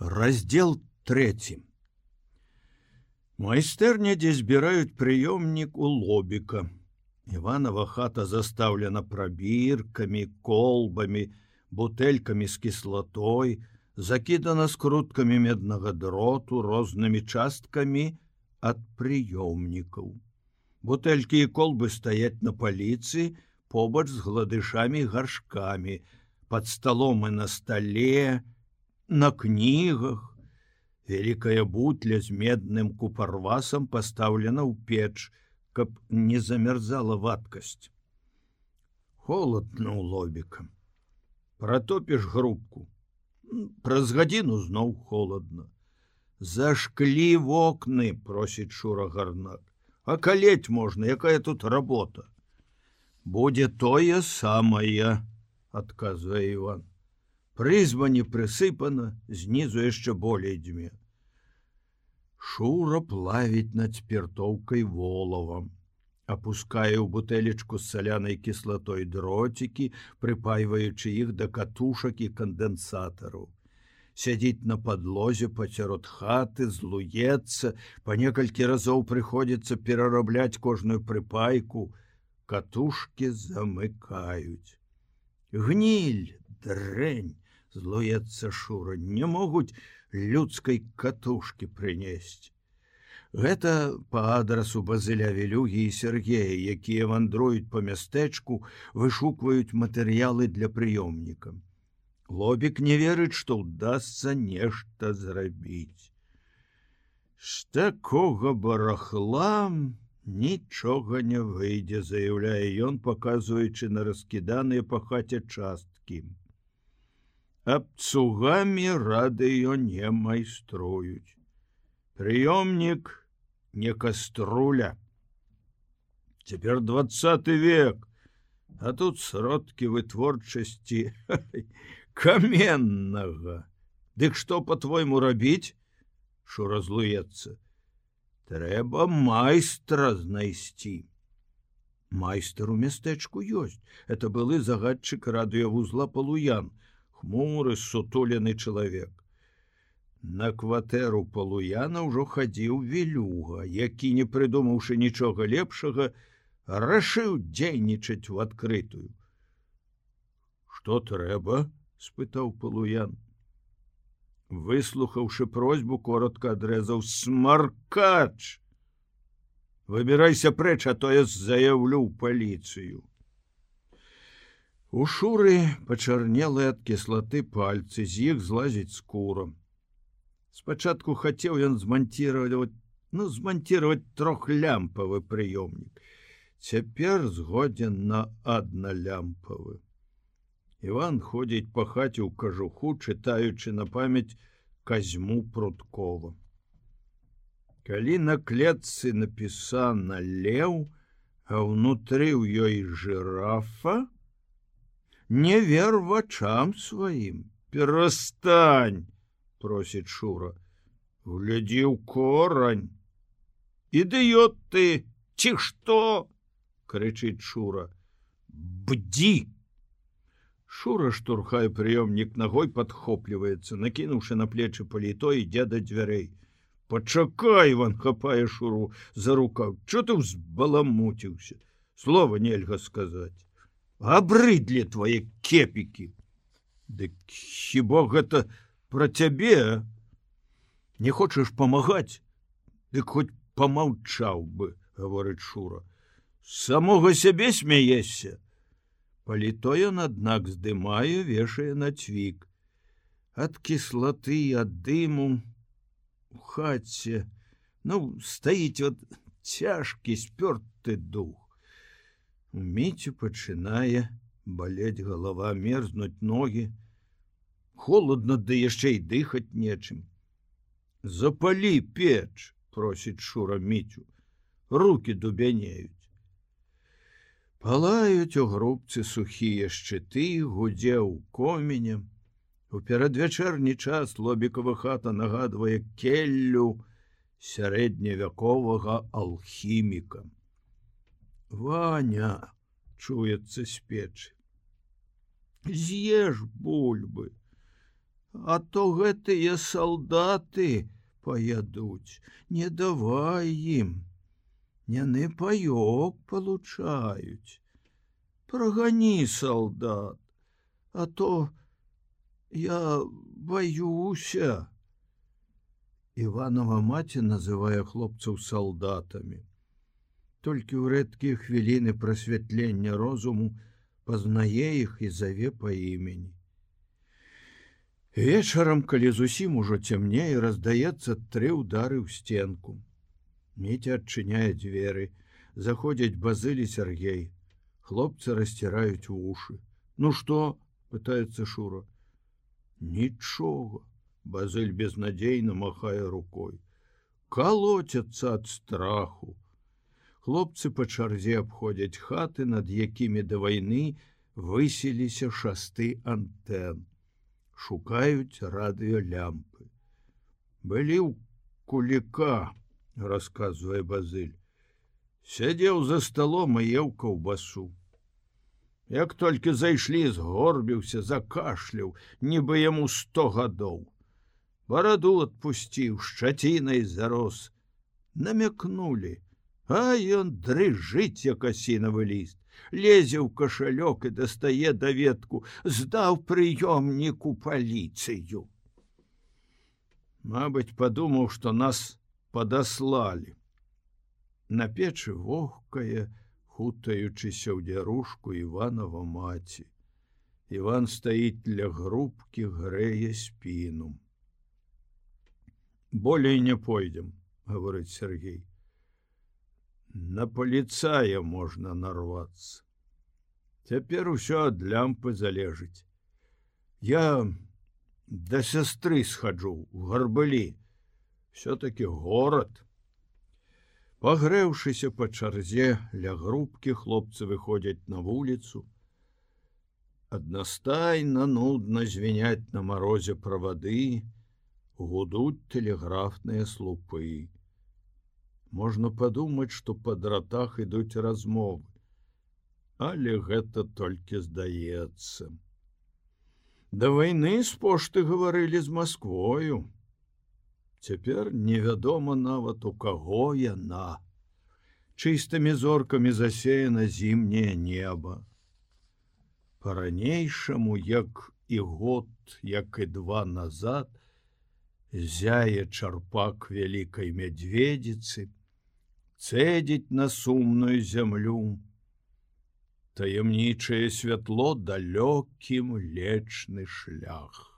Раздел 3. Майстэрня, дзе збіраюць прыёмнік у Лобіка. Іванова хата застаўлена прабіркамі, колбамі, бутэлькамі з кіслатой, закідана скруткамі меднага дроту, рознымі часткамі ад прыёмнікаў. Бутэлькі і колбы стаяць на паліцы побач з гладышамі і гаршкамі, пад сталом і на стале, на кнігах. Вялікая бутля з медным купарвасам пастаўлена ў печ, каб не замярзала вадкасць. Холодна ў Лобіка. Пратопіш грубку. Праз гадзіну зноў холодна. Зашклі вокны, просіць Шура Гарнак. А калець можна, якая тут работа? Будзе тое самае, адказвае Іван. Прызба не прысыпана, знізу яшчэ болей дзьме. Шура плавіць над спіртоўкай волавам, апускае ў бутэлечку з салянай кіслатой дроцікі, прыпайваючы іх да катушак і кандэнсатараў. Сядзіць на падлозе пацярод хаты, злуецца, па некалькі разоў прыходзіцца перарабляць кожную прыпайку, катушкі замыкаюць. Гніль, дрэнь, злуецца Шура, не могуць людскай катушкі прынесці. Гэта па адрасу Базыля Вілюгі і Сергея, якія вандруюць па мястэчку, вышукваюць матэрыялы для прыёмніка. Лобік не верыць, што ўдасца нешта зрабіць. З такога барахла нічога не выйдзе, заяўляе ён, паказваючы на раскіданыя па хаце часткі. Абцугамі радыё не майструюць. Прыёмнік не каструля. Цяпер 20 век, а тут сродкі вытворчасці каменнага. Дык што, па-твойму, рабіць? Шура злуецца. Трэба майстра знайсці. Майстар у мястэчку ёсць. Это былы загадчык радыёвузла Палуян, хмуры, сутулены чалавек. На кватэру Палуяна ўжо хадзіў Вілюга, які, не прыдумаўшы нічога лепшага, рашыў дзейнічаць у адкрытую. Што трэба? Спытаў Палуян. Выслухаўшы просьбу, коротка адрэзаў: смаркач! Выбірайся прэч, а то я заяўлю ў паліцыю. У Шуры пачарнелы ад кіслаты пальцы, з іх злазіць скура. Спачатку хацеў ён зманціраваць трохлямпавы прыёмнік. Цяпер згодзін на адналямпавы. Іван ходзіць па хаце ў кажуху, чытаючы на памяць Казьму Пруткова. Калі на клетцы напісана леў, а ўнутры ў ёй жырафа, не вер вачам сваім. Перастань, просіць Шура. Глядзі ў корань. Ідыёт ты, ці што? Крычыць Шура. Бдзі! Шура штурхае прыёмнік ногой, падхопліваецца, накінуўшы на плечы паліто, ідзе да дзвярэй. Пачакай, Іван хапае Шуру за рукаў. Чо ты ўзбаламуціўся? Слова нельга сказаць. Абрыдлі твае кепікі. Дык хіба гэта пра цябе? Не хочаш памагаць? Дык хоць памаўчаў бы, гаворыць Шура. Самога сябе смяешся? Паліто ён, аднак, здымае, вешае на цвік. Ад кіслаты і ад дыму у хаце, стаіць цяжкі спёрты дух. У Міцю пачынае балець галава, мерзнуць ногі. Холодна, ды яшчэ і дыхаць нечым. Запалі печ, просіць Шура Міцю. Рукі дубянеюць. Палаюць у грубцы сухія шчыты, гудзе ў комене. У перадвячэрні час Лобікава хата нагадвае келлю сярэдневяковага алхіміка. Ваня, чуецца з печы. З'еш бульбы. А то гэтыя салдаты паядуць, не давай ім. Яны паёк получаюць. Прагані салдат, а то я баюся. Іванова маці называе хлопцаў салдатамі. Толькі ў рэдкія хвіліны прасвятлення розуму пазнае іх і заве па імені. Вечарам, калі зусім ужо цямнее, раздаецца 3 ўдары ў сценку. Міця адчыняе дзверы, заходзяць Базыль і Сяргей. Хлопцы расціраюць вушы. Ну што? Пытаецца Шура. Нічога. Базыль безнадзейна махае рукой. Калоцяцца ад страху. Хлопцы па чарзе абходзяць хаты, над якімі да вайны высіліся шасты антэн. Шукаюць радыёлямпы. Былі ў Куліка, расказвае Базыль. Сядзеў за сталом і еў каўбасу. Як толькі зайшлі, згорбіўся, закашляў, нібы яму 100 гадоў. Бараду адпусціў, шчацінай зарос. Намякнулі, а ён дрыжыць, як асінавы ліст. Лезе ў кашалёк і дастае даведку, здаў прыёмніку паліцыю. Мабыць, падумаў, што нас падаслалі. На печы вогкае, хутаючыся ў дзярушку Іванова маці. Іван стаіць ля грубкі, грэе спіну. Болей не пойдзем, гаворыць Сергей. На паліцая можна нарвацца. Цяпер усё ад лямпы залежыць. Я да сястры схаджу у Гарбалі. Всё-таки горад. Пагрэўшыся па чарзе ля грубкі, хлопцы выходзяць на вуліцу. Аднастайна нудна звіняць на марозе правады, гудуць тэлеграфныя слупы. Можна падумаць, што па дратах ідуць размовы, але гэта толькі здаецца. Да вайны з пошты гаварылі з Масквою. Цяпер невядома нават, у каго яна. Чыстымі зоркамі засеяна зімняе неба. Па-ранейшаму, як і год, як і 2 назад, зяе чарпак вялікай мядзведзіцы, цэдзіць на сумную зямлю. Таямнічае святло далёкі Млечны шлях.